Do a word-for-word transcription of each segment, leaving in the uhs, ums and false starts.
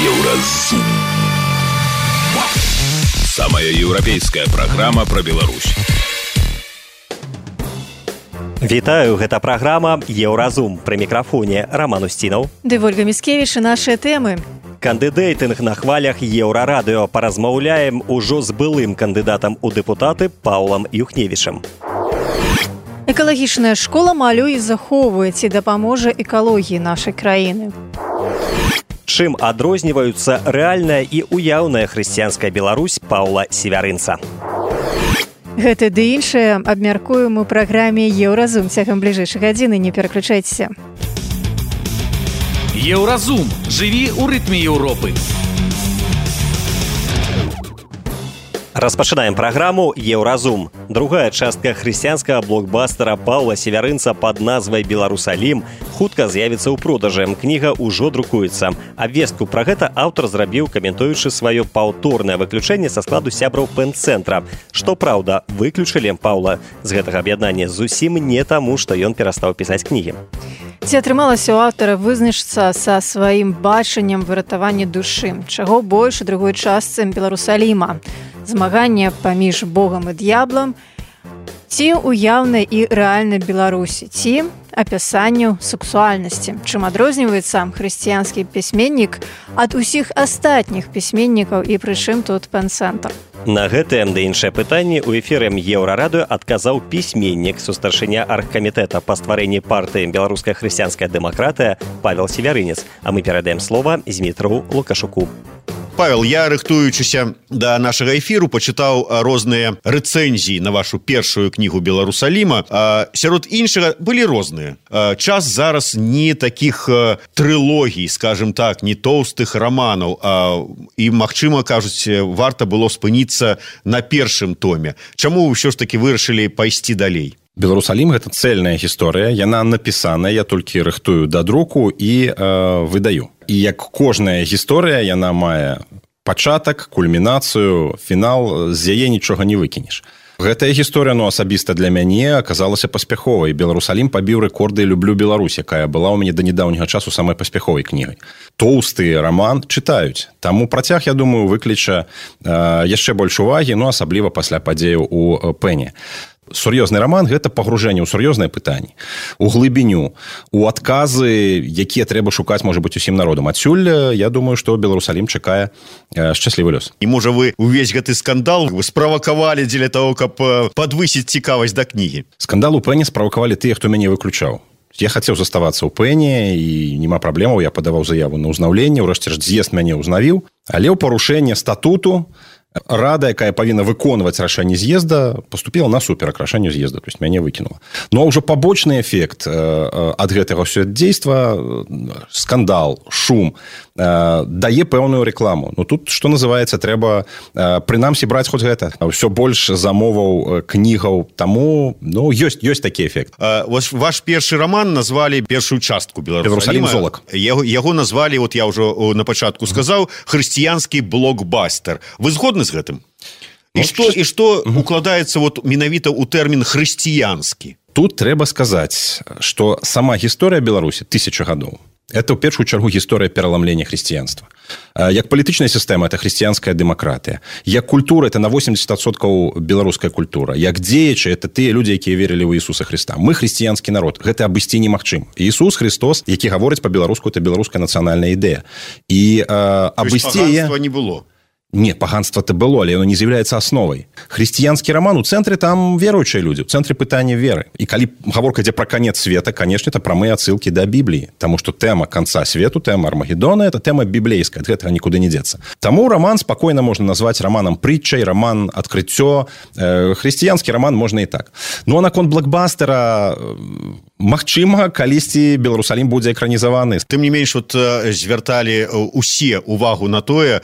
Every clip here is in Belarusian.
Еўразум. Самая еўрапейская праграма пра Беларусь. Вітаю, гэта праграма «Еўразум». Пры мікрафоне Роман Устінаў. Ды Вольга Міскевіч і нашыя тэмы. Кандыдейтынг на хвалях Еўрарадыё. Паразмаўляем ужо з былым кандыдатам у дэпутаты Паўлам Юхневічам. Экалагічная школа малюе і захоўвае, ці дапаможа экалогіі нашай краіны. Чым адрозніваюцца рэальная і уяўная хрысціянская Беларусь Паўла Севярынца. Гэта ды іншае абмяркуем у праграме «Еўразум». Цягам бліжэйшай гадзіны не пераключайцеся. Еўразум. Жыві ў рытме Еўропы. Распачынаем праграму «Еўразум». Другая частка хрысціянскага блокбастера Паўла Севярынца пад назвай «Беларусалім» хутка з'явіцца ў продажы. Кніга ўжо друкуецца. Абвестку пра гэта аўтар зрабіў, каментуючы сваё паўторнае выключэнне са складу сябраў пэн-цэнтра. Што праўда, выключылі Паўла з гэтага аб'яднання зусім не таму, што ён перастаў пісаць кнігі. Ці атрымалася ў аўтара вызначыцца са сваім бачаннем выратавання душы? Чаго больш у другой частцы «Беларусаліма»? Змаганне паміж Богам і д'яблам, ці уяўнай і рэальнай Беларусі, ці апісанню сексуальнасці. Чым адрозніваецца хрысціянскі пісьменнік ад усіх астатніх пісьменнікаў і прычым тут пэн-цэнтр? На гэтыя ды іншыя пытанні ў эфіры Еўрарадыё адказаў пісьменнік, сустаршыня аргкамітэта па стварэнні партыі «Беларуская хрысціянская дэмакратыя» Павел Севярынец. А мы перадаем слова Змітру Лукашуку. Павел, я, рыхтуючыся да нашага эфіру, пачытаў розныя рэцэнзіі на вашу першую кнігу «Беларусаліма». Сярод іншага былі розныя. Час зараз не такіх трылогій, скажем так, не тоўстых раманаў, і, магчыма, кажуць, варта было спыніцца на першым томе. Чаму ўсё ж такі вырашылі пайсці далей? «Беларусалім» – гэта цэльная гісторыя, яна напісаная, я толькі рыхтую да друку і э, выдаю. І як кожная гісторыя, яна мае пачатак, кульмінацыю, фінал, з яе нічога не выкінеш. Гэтая гісторыя, ну, асабіста для мяне, аказалася паспяховай. «Беларусалім» пабіў рэкорды «Люблю Беларусь», якая была ў мяне да нядаўняга часу самай паспяховай кнігай. Тоўсты раман чытаюць. Таму працяг, я думаю, выкліча э, яшчэ больш увагі, ну, асабліва пасля падзеяў у Пэне. Сур'ёзны раман – гэта пагружэнне ў сур'ёзныя пытанні, у глыбіню, у адказы, якія трэба шукаць, можа быць, усім народам. Адсюль, я думаю, што «Беларусалім» чакае э, шчаслівы лёс. І, можа, вы увесь гэты скандал справакавалі дзеля таго, каб падвысіць цікавасць да кнігі? Скандал у Пэне справакавалі тыя, хто мяне выключаў. Я хацеў заставацца ў Пэне, і няма праблемаў, я падаваў заяву на ўзнаўленне, ўрэшце ж з'езд мяне ўзнавіў, але ў парушэнне статуту рада, якая павінна выконваць рашэнне з'езда, паступіла насуперак рашэнню з'езда, то есть мяне выкінула. Ну а ўжо пабочны эфект ад гэтага ўсё дзейства, скандал, шум, дае пэўную рэкламу. Ну тут, што называецца, трэба прынамсі браць хоць гэта. Ўсё больш замоваў кнігаў, таму, ну, ёсць, ёсць такі эфект. Ваш, ваш першы раман назвалі першую частку «Беларусаліма». «Золак». Яго, яго назвалі, вот я ўжо на пачатку сказаў, хрысціянскі блокбастер. Вы згодны з гэтым? І што, і што укладаецца вот менавіта ў тэрмін хрысціянскі? Тут трэба сказаць, што сама гісторыя Беларусі тысяча гадоў. Это, ў першую чаргу, гісторыя пераламлення хрысціянства. Як палітычная сістэма – это хрысціянская дэмакратыя. Як культура – это на восемьдесят адсоткаў беларуская культура. Як дзеячы – это тыя людзі, якія верылі ў Ісуса Хрыста. Мы хрысціянскі народ. Гэта абысці немагчыма. Ісус Христос, які гаворыць па-беларуску, это беларуская нацыянальная ідэя. І э, абысці яе... Паганства не было. Не, паганства-то было, але оно не з'яўляецца асновай. Хрысціянскі раман, у цэнтры там веруючыя людзі, у цэнтры пытання веры. І калі гаворка ідзе пра канец света, канешне, это прамыя адсылкі да Бібліі, таму што тэма канца свету, тэма Армагеддона, это тэма біблейская, ад гэтага нікуды не дзецца. Таму раман спакойна можна назваць раманам прытчай, раман адкрыццё, э, хрысціянскі раман можна і так. Ну а наконт блокбастера, магчыма, калісьці «Беларусалім» будзе экранізаваны. Тым не менш, вот звярталі усе увагу на тое,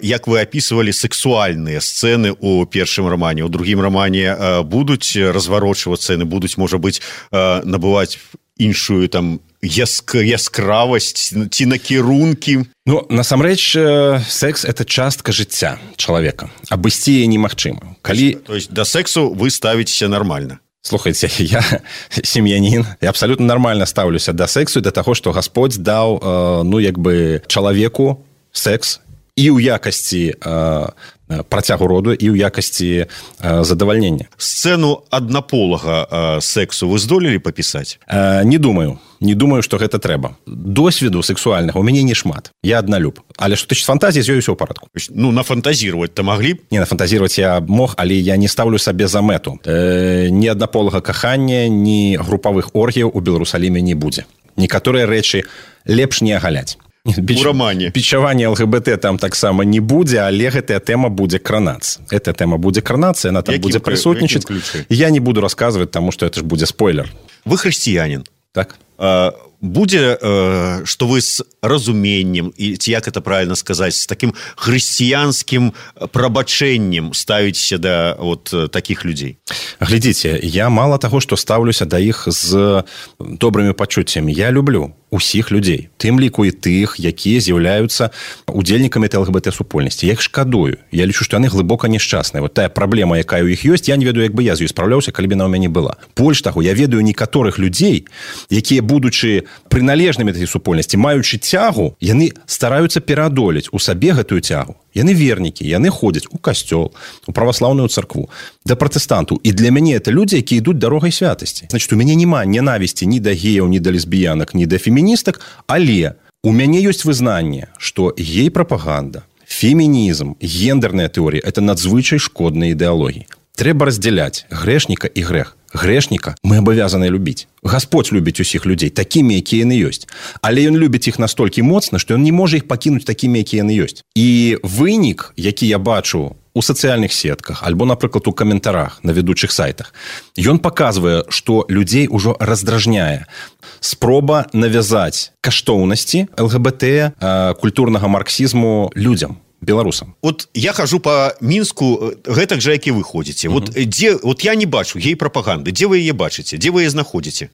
як вы описывали сексуальные сцены у першым романе. У другім романе э, будуць разварочвацца сцены, будуць, можа быць, э, набываць іншую там яск... яскравасць ці накірункі. Ну, насамрэч, э, секс – это частка жыцця чалавека. Абысці яе немагчыма. Калі... То есть до сексу вы ставіцеся нормально? Слухайте, я сем'янін, я абсолютно нормально ставлюся да сексу і да таго, што Гасподь даў, э, ну, як бы, чалавеку секс і ў якасці працягу роду і ў якасці задавальнення. Сцэну аднаполага сексу вы здолелі папісаць? Не думаю. Не думаю, што гэта трэба. Досведу сексуальнага у мяне не шмат. Я адналюб. Але што тычыць фантазіі, з ёй усё ў парадку. Ну, нафантазіраваць-то маглі б? Не, нафантазіраваць я мог, але я не ставлю сабе за мэту. Э, ні аднаполага кахання, ні групавых оргіяў у Беларусаліме не будзе. Некаторыя рэчы лепш не агаляць. Біч... У рамане. Пічаванне ЛГБТ там таксама не будзе, але гэтая тэма будзе кранацца. Эта тэма будзе кранацца, яна там якім, будзе прысутнічаць. Я не буду расказваць, таму што это ж будзе спойлер. Вы хрысціянін. Так. А, будзе, а, што вы з разуменнем, і ці як это правильно сказаць, з такім хрысціянскім прабачэннем ставіцеся да вот такіх людзей? Глядзіце, я мала таго, што стаўлюся да іх з добрымі пачуццямі. Я люблю усіх людзей, тым ліку і тых, якія з'яўляюцца удзельнікамі ЛГБТ-супольнасці. Я іх шкадую. Я лічу, што яны глыбока няшчасныя. Вот тая праблема, якая ў іх ёсць, я не ведаю, як бы я з ёй спраўляўся, калі б яна ў мяне была. Больш таго, я ведаю некаторых людзей, якія, будучы прыналежнымі да гэтай супольнасці, маючы цягу, яны стараюцца пераадолець у сабе гэтую цягу. Яны вернікі, яны ходзяць у касцёл, у праваслаўную царкву, да пратэстантаў. І для мяне это людзі, якія ідуць дарогай святасці. Значит, у мяне няма ненавісці ні да геяў, ні да лесбіянак, ні да феміністак, але у мяне ёсць вызнанне, што гей-прапаганда, фемінізм, гендерная тэорія – это надзвычай шкодныя ідэалогіі. Трэба раздзяляць грэшніка і грэх. Грэшніка мы абавязаны любіць. Гасподзь любіць усіх людзей такімі, якія яны ёсць. Але ён любіць іх настолькі моцна, што ён не можа іх пакінуць такімі, якія яны ёсць. І вынік, які я бачу у сацыяльных сетках, альбо, напрыклад, у каментарах на ведучых сайтах, ён паказвае, што людзей ужо раздражняе спроба навязаць каштоўнасці ЛГБТ, культурнага марксізму людзям, беларусам. Вот я хожу по Мінску гэтак жа, як і вы ходзіце. Вот uh-huh. дзе, вот я не бачу гей-прапаганды. Дзе вы яе бачыце? Дзе вы яе знаходзіце?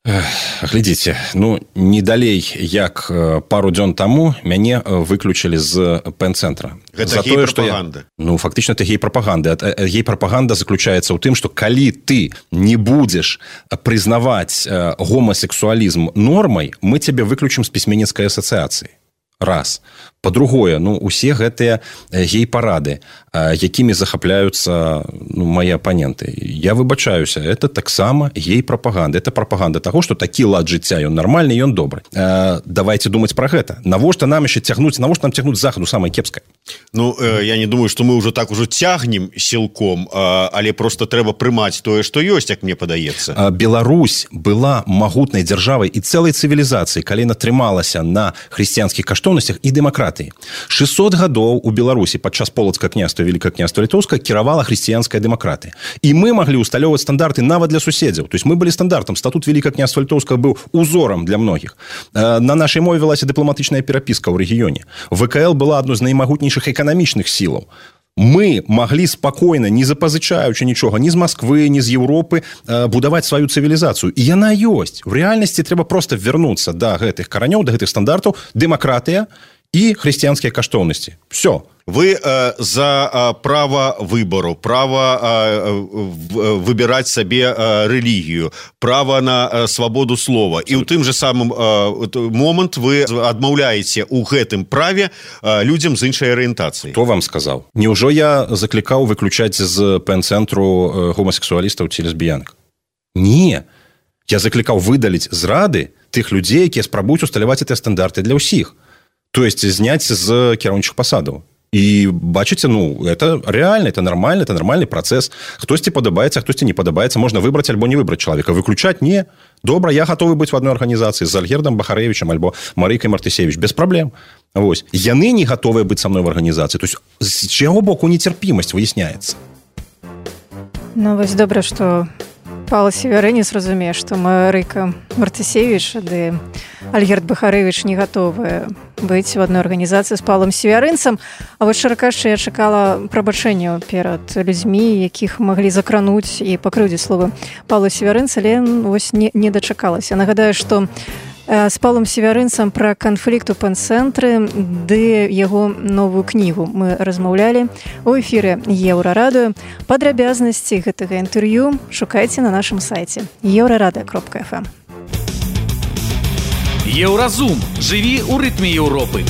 Глядзіце, ну, не далей, як пару дзён таму мяне выключылі з пэн-цэнтра. Гэта гей-прапаганда? Я... Ну, фактычна, это гей-прапаганда. Гей-прапаганда заключаецца ў тым, што калі ты не будзеш прызнаваць гомасексуалізм нормай, мы цябе выключым з пісьменніцкай асацыяцыі. Раз. Па-другое, ну, усе гэтыя гей-парады, якімі захапляюцца ну, мои апаненты. Я выбачаюся, это таксама гей-прапаганда. Это прапаганда таго, што такі лад жыцця, ён нармальны, ён добры. Э, давайте думаць пра гэта. Навошта нам яшчэ цягнуць, навошта нам цягнуць захаду самае кепскае? Ну, э, я не думаю, што мы ўжо так ужо цягнем сілком, э, але просто трэба прымаць тое, што ёсць, як мне падаецца. Э, Беларусь была магутнай дзяржавай і цэлай цывілізацыі, калі яна трымалася на хрысціянскіх каштоўнасцях і дэмакратыі. шэсцьсот гадоў у Беларусі падчас полацкага княства, Великое княства Літоўскае кіравала хрысціянская дэмакратыя. І мы маглі ўсталёўваць стандарты нават для суседзяў. То есть мы былі стандартам. Статут Великого княства Літоўскага быў узорам для многіх. На нашай мове велася дыпламатычная перапіска ў рэгіёне. ВКЛ была адной з наймагутнейшых эканамічных сілаў. Мы маглі спакойна, не запазычаючы нічога, ні з Масквы, ні з Еўропы, будаваць сваю цывілізацыю. І яна ёсць. В рэальнасці трэба проста вярнуцца да гэтых каранёў, да гэтых стандартаў, дэмакратыя і хрысціянскія каштоўнасці. Все. Вы э, за э, право выбору, право э, выбирать себе э, религию, право на э, свободу слова. И у тым же самым э, момент вы адмаўляете у гэтым праве э, людям з іншай арыентацыяй. Хто вам сказаў? Неўжо я заклікаў выключаць з пэн-цэнтру гомасексуалістаў ці лесбіянак? Не. Я заклікаў выдаліць з рады тых людзей, якія спрабуюць усталяваць гэтыя стандарты для ўсіх. То есть зняць з кіраўнічых пасадаў. І бачыце, ну, это реально, это нормально, это нормальный процесс. Хтосьці падабаецца, хтосьці не падабаецца. Можна выбраць альбо не выбраць чалавека. Выключаць не. Добра, я готовы быць в одной арганізацыі з Альгердом Бахарэвічам альбо Марыйкай Мартысевіч. Без праблем. Вось. Яны не готовыя быць са мной в арганізацыі. То есть з чаго боку нецярпімасць выясняецца. Ну, вось добра, што Павел Севярынец разумее, што Марыйка Мартысевіч ды Альгерд Бахарэвіч не гатовыя быць в одной арганізацыі з Павлом Севярынцам. А вось шчыра кажучы, я чакала прабачэнняў перад людзьмі, якіх маглі закрануць і пакрыўдзіць словы Павла Севярынца, але вось не, не дачакалася. Нагадаю, што з Павлом Севярынцам пра канфлікт у пэн-цэнтры ды яго новую кнігу мы размаўлялі у эфіры Еўрарадыё. Падрабязнасці гэтага інтэрв'ю шукайце на нашым сайце еўрарадыё кропка эф эм. Еўразум. Жыві ў рытме Еўропы.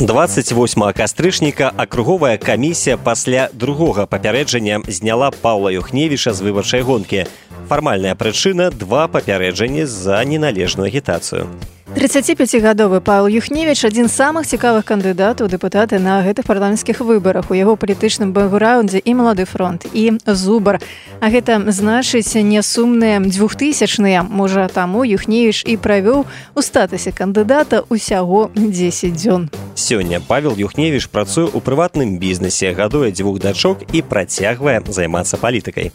двадцать восьмага кастрычніка акруговая камісія пасля другога папярэджання зняла Паўла Юхневіча з выбарчай гонкі. Фармальная прычына – два папярэджанні за неналежную агітацыю. трыццаціпяцігадовы Павел Юхневіч адзін з самых цікавых кандыдатаў у дэпутаты на гэтых парламенцкіх выбарах. У яго палітычным бэкграўндзе і Малады фронт, і Зубар. А гэта значыць несумныя двухтысячныя. Можа, таму Юхневіч і правёў у статусе кандыдата ўсяго дзесяць дзён. Сёння Павел Юхневіч працуе ў прыватным бізнесе, гадуе дзвюх дачок і працягвае займацца палітыкай.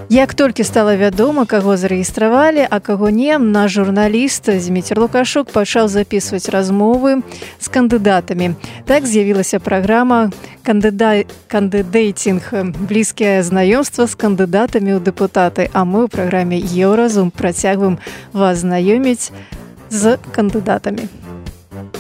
Як толькі стала вядома, каго зарэгістравалі, а каго не, наш журналіст Зміцер Лукашук пачаў запісваць размовы з кандыдатамі. Так з'явілася праграма «Кандыда... «Кандыдейтинг. Блізкае знаёмства з кандыдатамі ў дэпутаты». А мы ў праграме «Еўразум» працягваем вас знаёміць з кандыдатамі.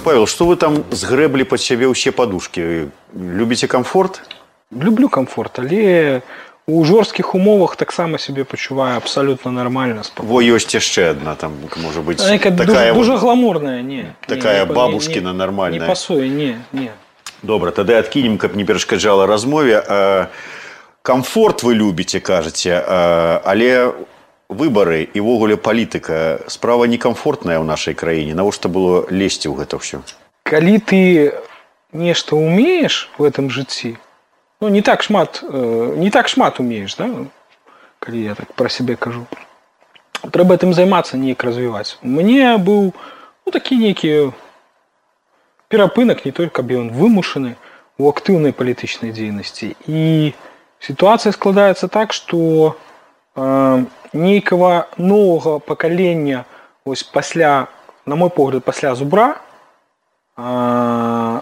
Павел, што вы там згрэблі пад сябе ўсе падушкі? Любіце камфорт? Люблю камфорт, але... У жорсткіх умовах таксама себе пачуваю абсолютно нормально. Во, ёсць яшчэ одна, там, можа быць, такая... Дуже, дуже гламурная, не. Такая не, бабушкіна не, нормальная. Не пасуе, не, не. Добра, тады адкінем, каб не перашкаджала размове. Камфорт вы любіце, кажаце, але выбары і ввогуле палітыка, справа некамфортная ў нашай краіне. Навошта было лезці ў гэта ўсё? Калі ты нешта умееш в этом жыцці, ну, не так шмат, не так шмат умееш, да? Калі я так пра сябе кажу. Трэба гэтым займацца, неяк развіваць. У мяне быў ну, такі нейкі перапынак, не толькі каб ён вымушаны у актыўнай палітычнай дзейнасці. І сітуацыя складаецца так, што э, нейкага новага пакалення ось пасля, на мой погляд, пасля Зубра э,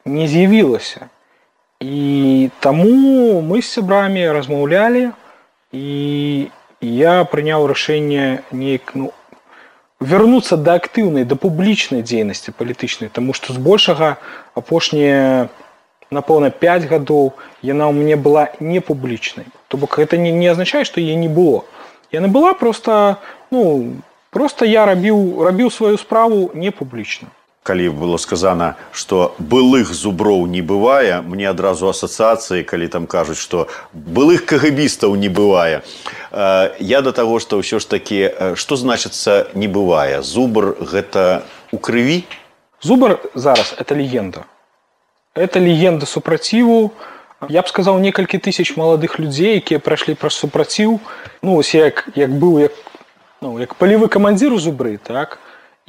не з'явілася. І таму мы з сябрамі размаўлялі, і я прыняў рашэнне неяк, ну, вярнуцца да актыўнай, да публічнай дзейнасці палітычнай, таму што збольшага апошнія, напэўна, пяць гадоў яна ў мяне была не публічнай. То бок гэта не, не азначае, што яе не было. Яна была проста, ну, проста я рабіў, рабіў сваю справу не публічна. Калі было сказана, што былых зуброў не бывае, мне адразу асацыяцыі, калі там кажуць, што былых кагабістаў не бывае. Я да таго, што ўсё ж такі, што значыцца не бывае? Зубр гэта ў крыві? Зубр зараз это легенда. Это легенда супраціву. Я б сказаў, некалькі тысяч маладых людзей, якія прайшлі праз супраціў. Ну, ось як, як быў, як, ну, як палевы камандзір у Зубры, так?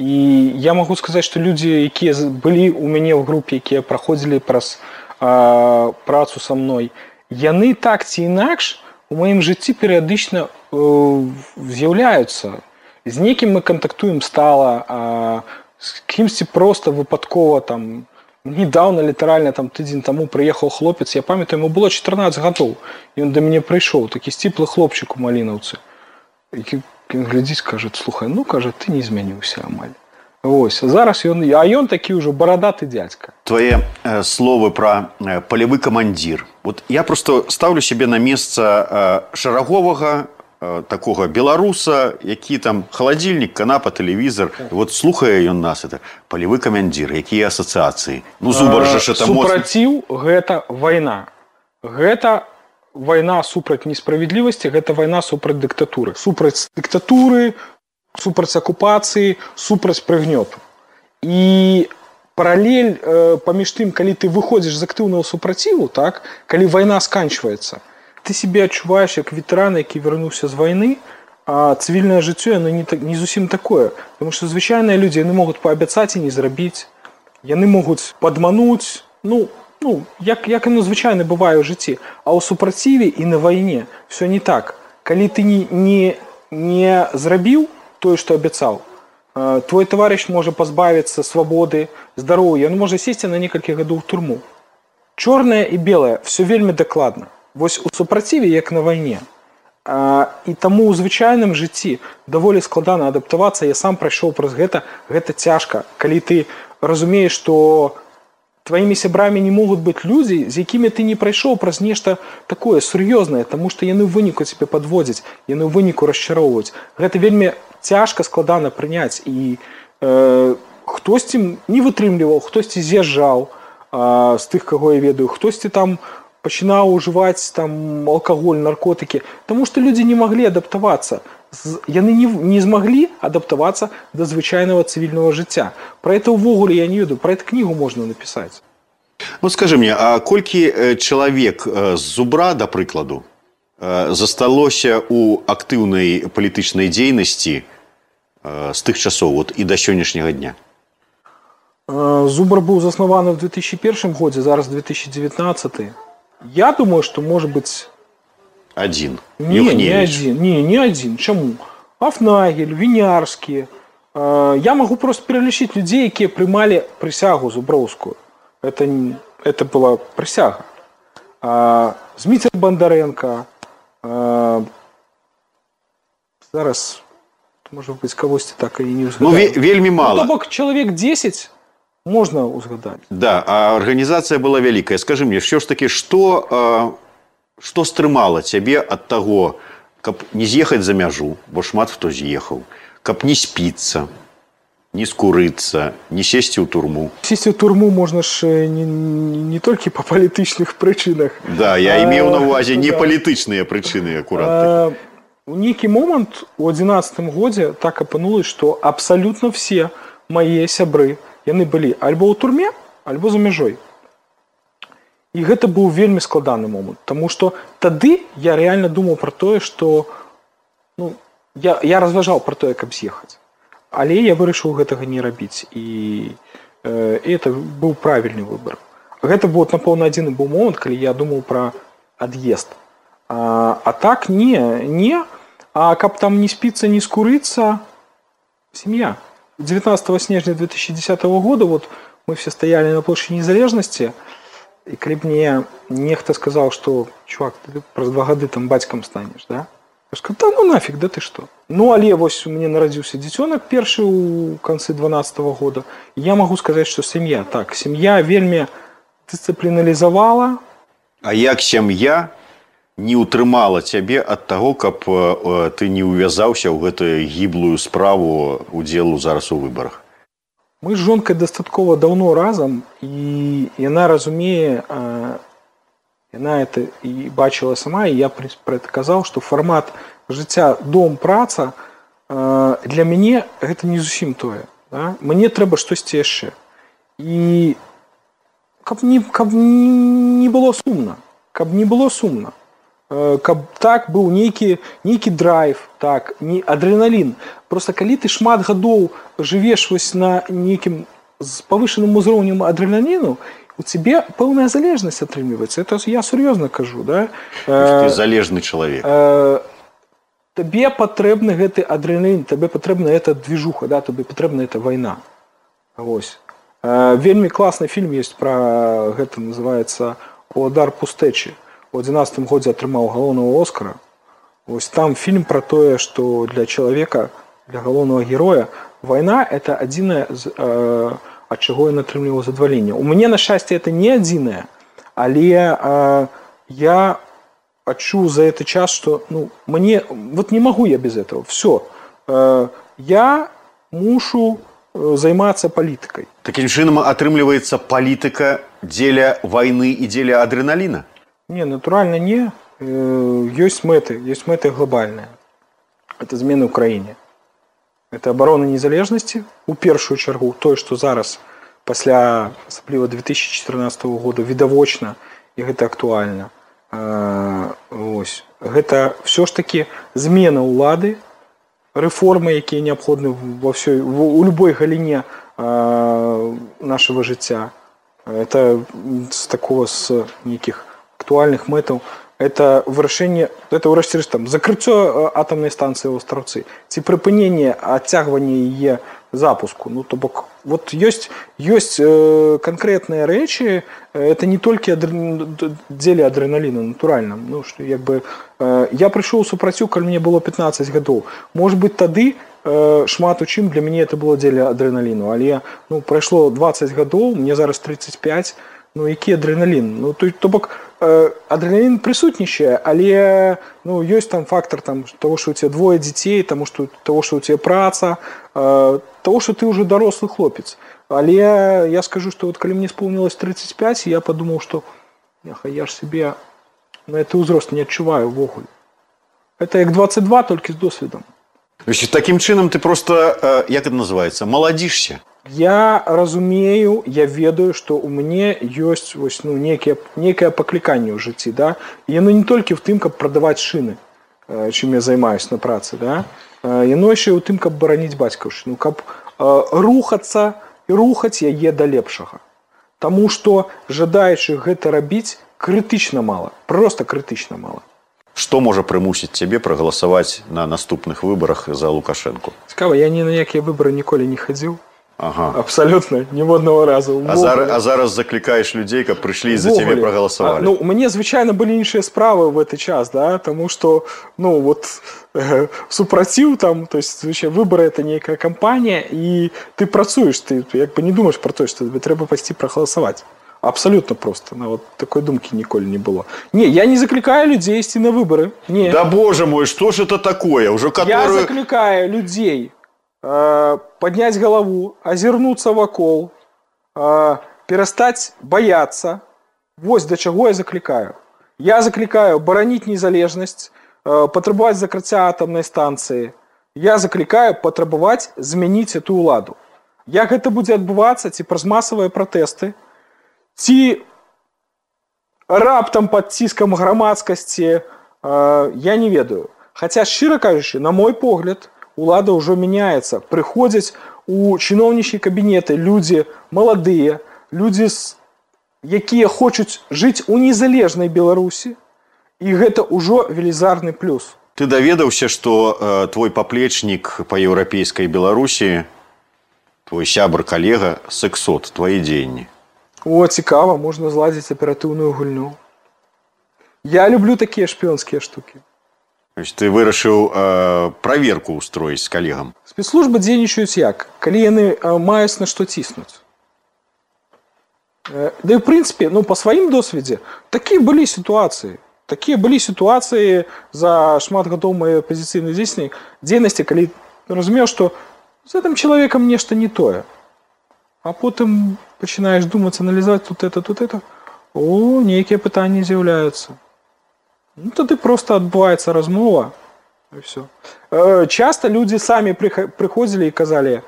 І я магу сказаць, што людзі, якія былі ў мяне ў групе, якія праходзілі праз а, працу са мной, яны так ці інакш у маім жыцці перыядычна э, з'яўляюцца. З некім мы кантактуем стала, а з кімсьці проста выпадкова там недаўна, літаральна там тыдзень таму прыехаў хлопец, я памятаю, яму было чатырнаццаць гадоў, і ён да мяне прыйшоў, такі сціплы хлопчык у Малінаўцы, які ён глядзіць, кажа, слухай, ну, кажа, ты не змяніўся амаль. Вось, зараз ён, а ён такі ўжо барадаты дзядзька. Твае э, словы пра э, палевы камандзір. Вот я просто ставлю сябе на месца э, шараговага э, такога беларуса, які там халадзільнік, канапа, тэлевізор. Вот слухае ён нас, это палевы камандзір, якія асацыяцыі. Ну, Зубар жа ж это моцна. Супраціў гэта вайна. Гэта вайна супраць несправядлівасці, гэта вайна супраць дыктатуры. Супраць дыктатуры, супраць акупацыі, супраць прыгнёту. І паралель э, паміж тым, калі ты выходзіш з актыўнага супраціву, так, калі вайна сканчваецца, ты сябе адчуваеш як ветэран, які вярнуўся з вайны, а цывільнае жыццё яно не, не зусім такое. Таму што звычайныя людзі, яны могуць паабяцаць і не зрабіць, яны могуць падмануць, ну, Ну, як, як яно звычайна бывае ў жыцці. А ў супраціве і на вайне все не так. Калі ты не, не, не зрабіў тое, што абяцаў, твой таварыш можа пазбавіцца свабоды, здароўя, ён можа сесці на некалькі гадоў у турму. Чорнае і белае, все вельмі дакладна. Вось у супраціве, як на вайне. І таму ў звычайным жыцці даволі складана адаптавацца. Я сам прайшоў праз гэта, гэта цяжка. Калі ты разумееш, што твоими сябрамі не могуць быць людзі, з якімі ты не прайшоў праз нешта такое сур'ёзнае, таму што яны ў выніку цябе падводзяць, яны ў выніку расчароўваюць. Гэта вельмі цяжка, складана прыняць. І э, хтосьці не вытрымліваў, хтосьці з'язджаў а, з тых, каго я ведаю, хтосьці там пачынаў ужываць там алкаголь, наркотыкі, таму што людзі не маглі адаптавацца. Яны не, не змаглі адаптавацца да звычайнага цывільнага жыцця. Пра гэта ўвогуле я не ведаю, пра эту кнігу можна напісаць. Вот скажи мне, а колькі чалавек з Зубра, да прыкладу, засталося ў актыўнай палітычнай дзейнасці з тых часоў вот, і да сённяшняга дня? Зубр быў заснаваны ў две тысячи першым годзе, зараз две тысячи девятнадцаты. Я думаю, что может быть... Один. Не, не один. Не, не один. Чему? Афнагель, Винярский. Я могу просто перелічыць людей, которые принимали присягу зуброўскую. Это, это была присяга. Зміцер Бондаренко. Зараз, может быть, кагосьці так и не узгадаю. Ну, вельмі мало. Ну, то бок человек десять можно узгадать. Да, а организация была великая. Скажи мне, все ж таки, что, что стрымало тебе от того, каб не з'ехаць за мяжу, бо шмат хто з'ехаў, каб не спіцца, не скурыцца, не сесці ў турму? Сесці ў турму можна ж не, не толькі па палітычных прычынах. Да, я имеў на ўвазе не палітычныя прычыны акурат. У нейкі момант у адзінаццатым годзе так апынулася, што абсалютна все мае сябры, яны былі альбо ў турме, альбо за мяжой. І гэта быў вельмі складаны момант, таму што тады я рэальна думаў пра тое, што ну, я, я разважаў пра тое, каб з'ехаць. Але я вырашыў гэтага не рабіць. І, э, і это быў правільны выбор. Гэта быў, напэўна, адзіны быў момант, калі я думаў пра ад'езд. А, а так не, не. А каб там не спіцца, не скурыцца, сям'я. девятнадцатого снежня две тысячи десятого года вот мы все стояли на площади Незалежности, и калі б мне нехта сказал, что чувак, ты праз два гады там бацькам станешь, да? Я сказал, да ну нафиг, да ты что? Ну, але вось у меня народился дзіцёнак першы у концы дванадцатого года. И я могу сказать, что семья, так, семья вельмі дысцыпліналізавала. А як сям'я не утрымала цябе ад таго, каб э, ты не увязаўся ў гэтую гіблую справу удзелу зараз у выбарах? Мы з жонкай дастаткова даўно разам, і яна разумее, э, яна это і бачыла сама, і я пра это казаў, што фармат жыцця дом-праца э, для мяне гэта не зусім тое. Да? Мне трэба штосьці яшчэ. І каб не, каб не было сумна, каб не было сумна. Каб так быў нейкі, нейкі драйв, так, не адреналін. Просто калі ты шмат гадоў жывеш вось на нейкім з павышаным узроўнем адреналіну, у цябе пэўная залежнасць атрымліваецца. Это я сур'ёзна кажу, да? Ты залежны чалавек. Табе патрэбны гэты адреналін, табе патрэбна эта движуха, да? Табе патрэбна эта вайна. Вось. Вельмі класны фільм ёсць пра гэта, называецца «Удар пустэчы». У адзінаццатым годзе атрымаў галоўнага Оскара. Вось там фільм пра тое, што для чалавека, для галоўнага героя, вайна – это адзінае, э, ад чаго ён атрымліваў задавальненне. У мяне, на шчасце, это не адзінае, але э, я адчуў за гэты час, што ну, мне, вот не магу я без этого. Все. Э, я мушу займацца палітыкай. Такім чынам атрымліваецца палітыка дзеля вайны і дзеля адреналіна? Не, натуральна не. Ёсць мэты, ёсць мэты глобальныя. Это змены ў краіне. Это абарона незалежнасці, у першую чаргу, тое, што зараз, пасля асабліва две тысячи чатырнаццатого года, відавочна, і гэта актуальна. Ось. Гэта ўсё ж такі змена ўлады, рэформы, якія неабходны во ўсёй, у любой галіне нашага жыцця. Это з такого, з нейкіх актуальных мэтаў, это вырашэнне, это ўрэшце рэшт там закрыццё атамнай станцыі ў Астраўцы, ці прыпыненне адцягвання яе запуску. Ну то бок вот ёсць ёсць э, канкрэтныя рэчы, это не толькі адр... дзеля адреналіна, натуральна. Ну што як бы э, я прыйшоў у супрацю, калі мне было пятнадцать гадоў. Может быть, тады э, шмат у чым для мяне это было дзеля адреналіну, але ну прайшло двадцать гадоў, мне зараз тридцать пять. Ну, які адреналін? Ну, то, то бок, э, адреналін прысутнічае, але ну, ёсць там фактор там, того, што у тебя двое дзяцей, тому, што, того, што у тебя праца, э, того, что ты уже дорослый хлопец. Але я, я скажу, что вот когда мне исполнилось тридцать пять, я подумал, что я ж себе на этот возраст не отчуваю ввогуле. Это як двадцать два, только с досвидом. Значит, таким чином ты просто, як это называется, молодишься. Я разумею, я ведаю, что у меня есть вось, ну, некое, некое покликание в житті, да? И оно не только в том, как продавать шины, чем я занимаюсь на праце, да? Оно еще и в том, как боронить батьківщину, как рухаться и рухать яе до лепшага. Тому что жадающих это робить критично мало, просто критично мало. Что может примусить тебе проголосовать на наступных выборах за Лукашенко? Цікаво, я ни на какие выборы николи не ходил. Ага. Абсолютно, ни в одного разу. А зараз, а зараз закликаешь людей, как пришли и за тебя проголосовали? А, ну, мне, звичайно, были іншие справы в этот час, да, потому что, ну, вот, э, супротив там, то есть, звичайно, выборы это некая кампания, и ты працуешь, ты, как бы не думаешь про то, что тебе треба пойти проголосовать. Абсолютно просто. Ну, вот такой думки ніколи не было. Не, я не закликаю людей идти на выборы. Не. Да боже мой, что же это такое? Уже которую... Я закликаю людей э, поднять голову, озернуться вокол, э, перестать бояться. Вот до чего я закликаю. Я закликаю боронить незалежность, э, потребовать закрытия атомной станции. Я закликаю потребовать змянить эту уладу. Як это будет отбываться, ці праз массовые протесты, ці раптам пад ціскам грамадскасці, э, я не ведаю. Хаця, шчыра кажучы, на мой погляд, улада ўжо мяняецца. Прыходзяць у чыноўнічыя кабінеты людзі маладыя, людзі, якія хочуць жыць у незалежнай Беларусі, і гэта ўжо велізарны плюс. Ты даведаўся, што э, твой паплечнік па еўрапейскай Беларусі, твой сябр, калега, сексот, твои дзеянні? О, цікава, можна зладзіць аператыўную гульню. Я люблю такія шпіёнскія штукі. Значит, ты вырашыў э, праверку устроіць з калегам. Спецслужбы дзейнічаюць як? Калі яны э, маюць на што ціснуць. Э, да і, в прынцыпе, ну, па сваім досведзе, такія былі сітуацыі. Такія былі сітуацыі за шмат гадоў маёй апазіцыйнай дзейнасці, калі разумеў, што з гэтым чалавекам нешта не тое. А потым пачинаешь думать, анализовать тут это, тут это, о, некие пытания з'являются. Ну, тады просто отбывается размова, и все. Часто люди сами приходили и сказали,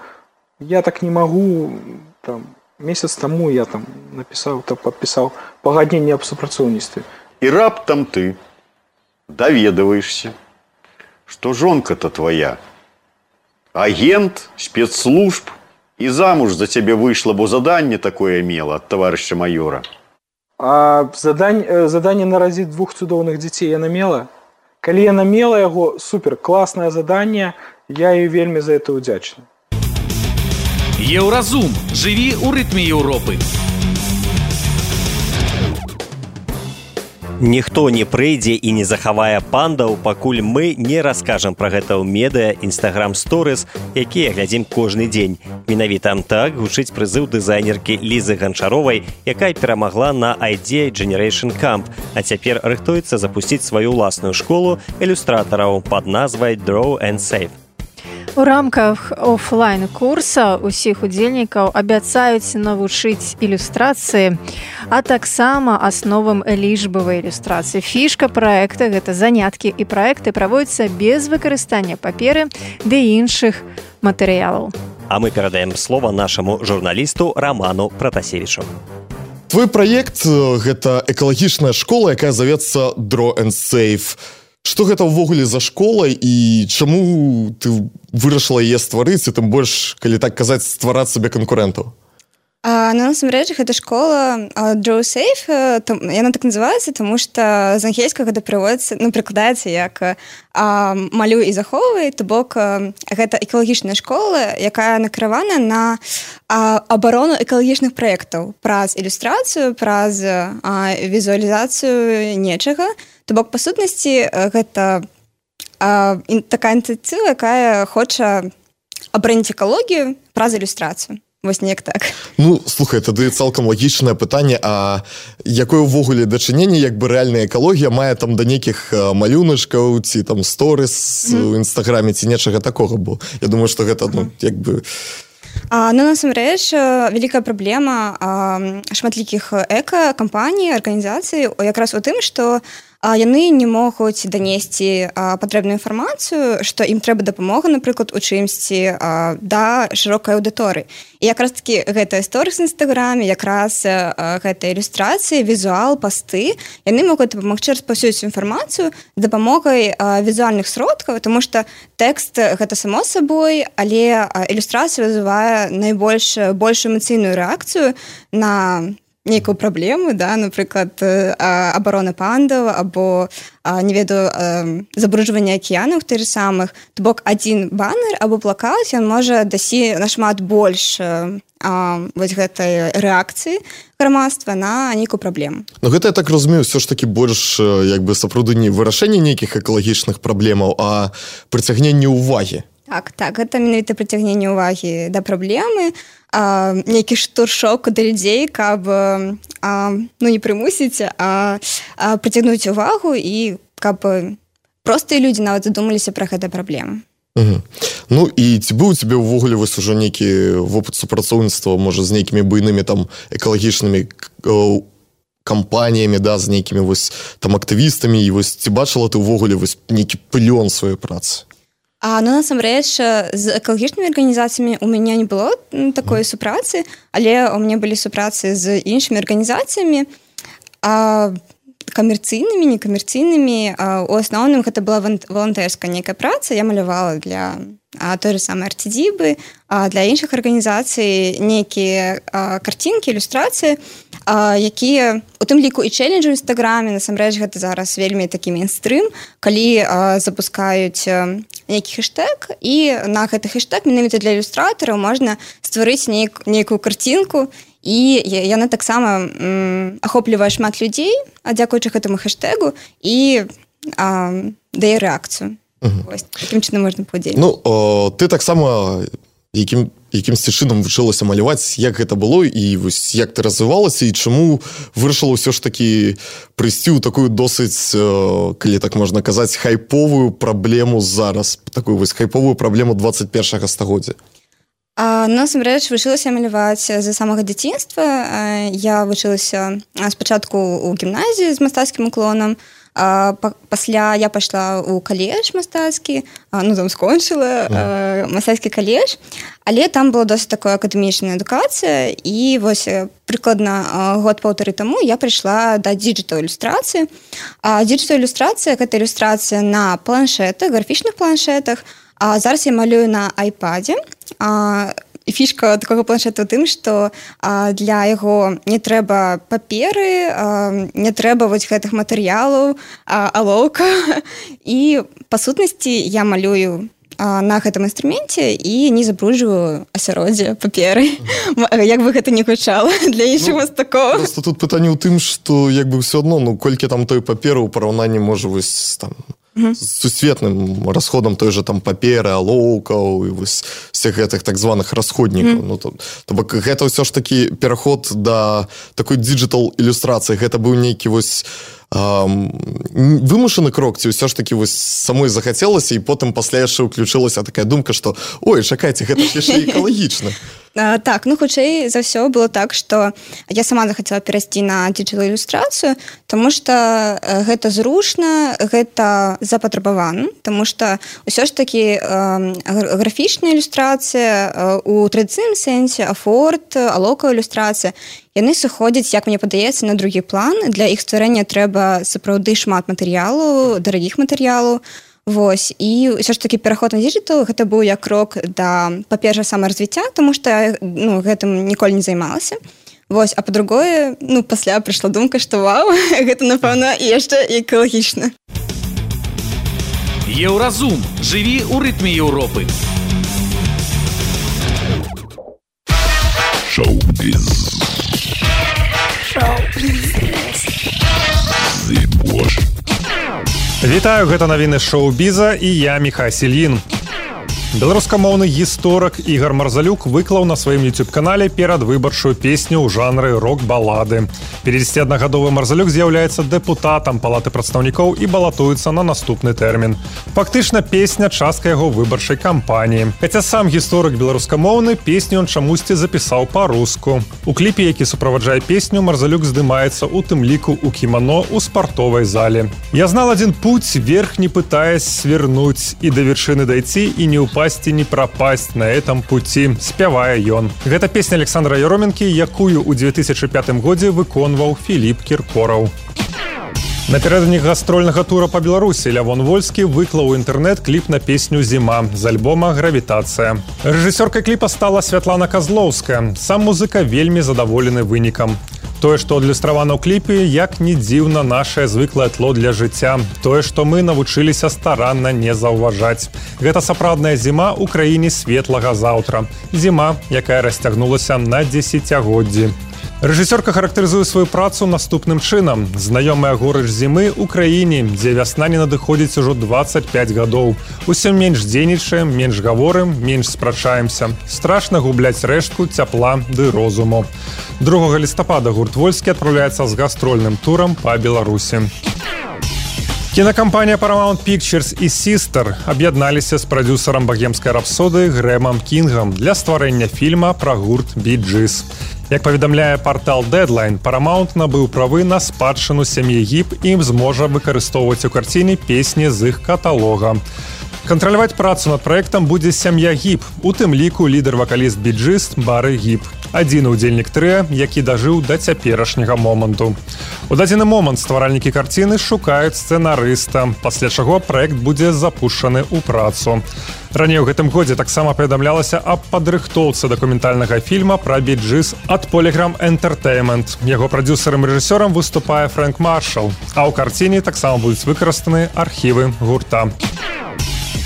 я так не могу, там, месяц тому я там написал, там, подписал погоднение об супрацоўніцтве. И раптом ты доведываешься, что жонка-то твоя агент спецслужб, и замуж за тебе вышло, бо задание такое имела от товарища майора. А задание, задание наразить двух цудоўных детей яна мела? Калі яна мела яго, супер, классное задание, я ей вельмі за это удзячны. Еўразум. Жыві ў рытме Еўропы. Ніхто не прыйдзе і не захавае пандаў, пакуль мы не раскажам пра гэта ў медыа, Instagram Stories, якія глядзім кожны дзень. Менавіта так гучыць прызыў дызайнеркі Лізы Ганчаровай, якая перамагла на Idea Generation Camp, а цяпер рыхтуецца запусціць сваю ўласную школу ілюстратараў пад назвай Draw and Save. У рамках офлайн-курса усіх удзельнікаў абяцаюць навучыць ілюстрацыі, а таксама асновам лічбавай ілюстрацыі. Фішка праекта – гэта заняткі і праекты праводзяцца без выкарыстання паперы ды іншых матэрыялаў. А мы перадаем слова нашаму журналісту Роману Пратасевічу. Твой праект – гэта экалагічная школа, якая завецца Draw and Save. Што гэта ўвогуле за школа і чаму ты вырашыла яе стварыць, і тым больш, калі так казаць, ствараць сабе канкурэнтаў? А, ну, насамрэч, гэта школа Draw Safe, там, яна так называецца, тому што з ангельскага гэта прыводіцца, ну, прыкладаецца як а, малюй і захоўвай, то бок гэта экалагічная школа, якая накіравана на а, абарону экалагічных праектаў праз ілюстрацыю, праз а, візуалізацыю нечага. То бок, па сутнасці, гэта а, такая ініцыятыва, якая хоча абараніць экалогію праз ілюстрацыю. вось неяк так. Ну, слухай, тады цалкам лагічнае пытанне, а якое ўвогуле дачыненне, як бы рэальная экалогія мае там да нейкіх малюначкаў ці там сторыс mm. у інстаграме ці нечага такога, бо я думаю, што гэта, ну, як бы... А, ну, насамрэч, вялікая праблема шматлікіх эка-кампаній, арганізацый якраз у тым, што яны не могуць данесці патрэбную інфармацыю, што ім трэба дапамога, напрыклад, у чымсьці да шырокай аўдыторыі. І якраз такі гэта сторыс в інстаграме, якраз гэта ілюстрацыі, візуал, пасты, яны могуць дапамагчы распаўсюдзіць інфармацыю з дапамогай візуальных сродкаў, тому што тэкст гэта само сабой, але ілюстрацыя вызывае найбольш большую эмацыйную рэакцыю на нейкую праблему, да, напрыклад, абарона пандаў або, не ведаю, забруджванне акіянаў тых самых. То бок адзін банер або плакат, ён можа дасі нашмат больш вось гэтай рэакцыі грамадства на нейкую праблему. Ну гэта, я так разумею, ўсё ж такі больш як бы сапраўды не вырашэнне нейкіх экалагічных праблемаў, а прыцягненне ўвагі. Так, так, гэта менавіта прыцягненне ўвагі да праблемы, а, нейкі штуршок да людзей, каб а, ну, не прымусіць, а, а прыцягнуць увагу і каб простыя людзі нават задумаліся пра гэтыя праблемы. Угу. Ну і ці быў у цябе ўвогуле вось ужо нейкі вопыт супрацоўніцтва, можа, з нейкімі буйнымі там экалагічнымі кампаніямі, да, з нейкімі вось там актывістамі, і вось ці бачыла ты ўвогуле вось нейкі плён сваёй працы? А, ну, насамрэч, з экалагічнымі арганізацыямі у мяне не было такой супрацы, але у мяне былі супрацы з іншымі арганізацыямі, а, камерцыйнымі, некамерцыйнымі. А, у асноўным гэта была валантэрская нейкая праца, я малявала для а, той же самой арцідзібы, а для іншых арганізацый нейкія а, карцінкі, ілюстрацыі, а, якія у тым ліку і чэлленджы ў інстаграме, насамрэч гэта зараз вельмі такі мейнстрым, калі а, запускаюць а, нейкі хэштэг, і на гэты хэштэг менавіта для ілюстратараў можна стварыць нейк, нейкую карцінку, і яна таксама м, ахоплівае шмат людзей, а дзякуючы гэтаму хэштэгу, і а, дае рэакцыю. Угу. Ось, такім чынам можна падзеліць. Ну, о, ты таксама якім, якімсьці чынам вучылася маляваць, як гэта было, і вось як ты развівалася, і чаму вырашыла ўсё ж такі прыйсці ў такую досыць, калі так можна казаць, хайповую праблему зараз, такую вось хайповую праблему двадцать першага стагоддзя? А, насамрэч, вучылася маляваць з самага дзяцінства. Я вучылася спачатку ў гімназіі з мастацкім уклонам, а пасля я пайшла ў каледж мастацкі, ну там скончыла mm. мастацкі каледж, але там была досыць такая акадэмічная адукацыя, і вось прыкладна год-паўтары таму я прыйшла да дыджытал-ілюстрацыі. А дыджытал-ілюстрацыя гэта ілюстрацыя на планшетах, графічных планшетах. А зараз я малюю на айпадзе. А, і фішка такога планшета ў тым, што а, для яго не трэба паперы, а, не трэба вось гэтых матэрыялаў, алоўка. І па сутнасці я малюю а, на гэтым інструменце і не забруджваю асяроддзе паперы. Як бы гэта не гучала для іншых мастакоў. Просто тут пытанне ў тым, што як бы ўсё адно, ну колькі там той паперы ў параўнанні можа вось там з сусветным расходам той же там паперы, алоўкаў і вось всех гэтых так званых расходнікаў. Mm. Ну, то, то бок гэта ўсё ж такі пераход да такой дыджытал-ілюстрацыі. Гэта быў нейкі вось Um, вымушаны крок, ці ўсё ж такі вось самой захацелася, і потым пасля яшчэ ўключылася такая думка, што ой, чакайце, гэта ж яшчэ экалагічна. А, так, ну хутчэй за ўсё было так, што я сама захацела перайсці на дыджытал-ілюстрацыю, таму што гэта зручна, гэта запатрабавана, таму што ўсё ж такі э, графічная ілюстрацыя э, у традыцыйным сэнсе, афорт, алоўкавая ілюстрацыя, яны сыходзяць, як мне падаецца, на другі план. Для іх стварэння трэба сапраўды шмат матэрыялаў, дарагіх матэрыялаў. Вось. І ўсё ж такі пераход на дыджытал гэта быў як крок да, па-першае, самаразвіцця, таму што я ну, гэтым ніколі не займалася. Вось. А па-другое, ну, пасля прыйшла думка, што вау, гэта, напэўна, і яшчэ экалагічна. Еўразум. Жыві ў рытме Еўропы. Шоу-біз. Вітаю, гэта навіны шоу-біза, і я Міхась Ільін. Беларускамоўны гісторык Ігор Марзалюк выклаў на сваім YouTube-канале перадвыбарчую песню ў жанры рок-балады. пятидесятиодногодовы Марзалюк з'яўляецца дэпутатам Палаты прадстаўнікоў і балатуецца на наступны тэрмін. Фактычна песня частка яго выбарчай кампаніі. Хаця сам гісторык беларускамоўны песню ён чамусьці запісаў па-руску. У кліпе, які суправаджае песню, Марзалюк здымаецца у тым ліку у кімано ў спартовай зале. Я знал один путь, вверх не пытаясь свернуть, и до вершины дойти, и не упасть, не пропасть на этом пути, спявае ён. Гэта песня Александра Яроменкі, якую ў две тысячи пятым годзе выконваў Філіп Кіркораў. Напярэдадні гастрольнага тура па Беларусі Лявон Вольскі выклаў у інтэрнэт кліп на песню «Зіма» з альбома «Гравітацыя». Рэжысёркай кліпа стала Святлана Казлоўская. Сам музыка вельмі задаволены вынікам. Тое, што адлюстравана ў кліпе, як не дзіўна нашае звыклае тло для жыцця. Тое, што мы навучыліся старанна не заўважаць. Гэта сапраўдная зіма ў краіне светлага заўтра. Зіма, якая расцягнулася на дзесяцігоддзі. Рэжысёрка характарызуе сваю працу наступным чынам. Знаёмая горыч зімы ў краіне, дзе вясна не надыходзіць ужо двадцать пять гадоў. Усё менш дзейнічаем, менш гаворым, менш спрачаемся. Страшна губляць рэштку цяпла ды розуму. другога лістапада гурт Вольскі адпраўляецца з гастрольным турам па Беларусі. Кінакампанія Paramount Pictures і Sister аб'ядналіся з прадзюсарам багемскай рапсодыі Грэмам Кінгам для стварэння фільма пра гурт Bee Gees. Як паведамляе партал Deadline, Paramount набыў правы на спадчыну сям'і Гіб і ім зможа выкарыстоўваць у карціне песні з іх каталога. Кантраляваць працу над праектам будзе сям'я Гіб, у тым ліку лідар-вакаліст Bee Gees Бары Гіб. Адзіны ўдзельнік трыа, які дажыў да цяперашняга моманту. У дадзены момант стваральнікі карціны шукаюць сцэнарыста, пасля чаго праект будзе запушчаны ў працу. Раней у гэтым годзе таксама паведамлялася аб падрыхтоўцы дакументальнага фільма пра Bee Gees ад Polygram Entertainment. Яго прадзюсарам і рэжысёрам выступае Фрэнк Маршал, а ў карціне таксама будуць выкарыстаны архівы гурта.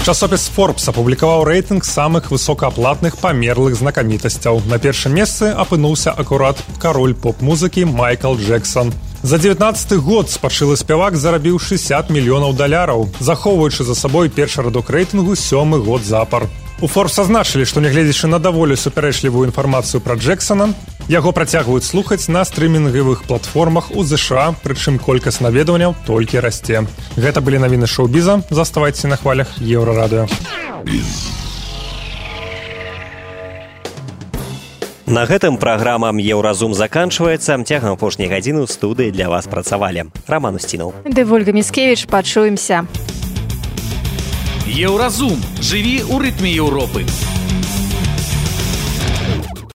Часопіс Forbes апублікаваў рэйтынг самых высокааплатных памерлых знакамітасцяў. На першым месцы апынуўся акурат кароль поп-музыкі Майкл Джексон. За дзевятнаццаты год спачылы спявак зарабіў шэсцьдзесят мільёнаў даляраў, захоўваючы за сабой першы радок рэйтынгу сёмы год запар. У Forbes азначылі, што нягледзячы на даволі супярэчлівую інфармацыю пра Джексона, яго працягваюць слухаць на стрымінгавых платформах у ЗША, прычым колькасць наведванняў толькі расце. Гэта былі навіны шоу-біза. Заставайцеся на хвалях Еўрарадыё. На гэтым праграма «Еўразум» заканчваецца. Цягам апошняй гадзіны ў студыі для вас працавалі Раман Устінаў. Ды Вольга Міскевіч, пачуемся. Еўразум. Жыві ў рытме Еўропы.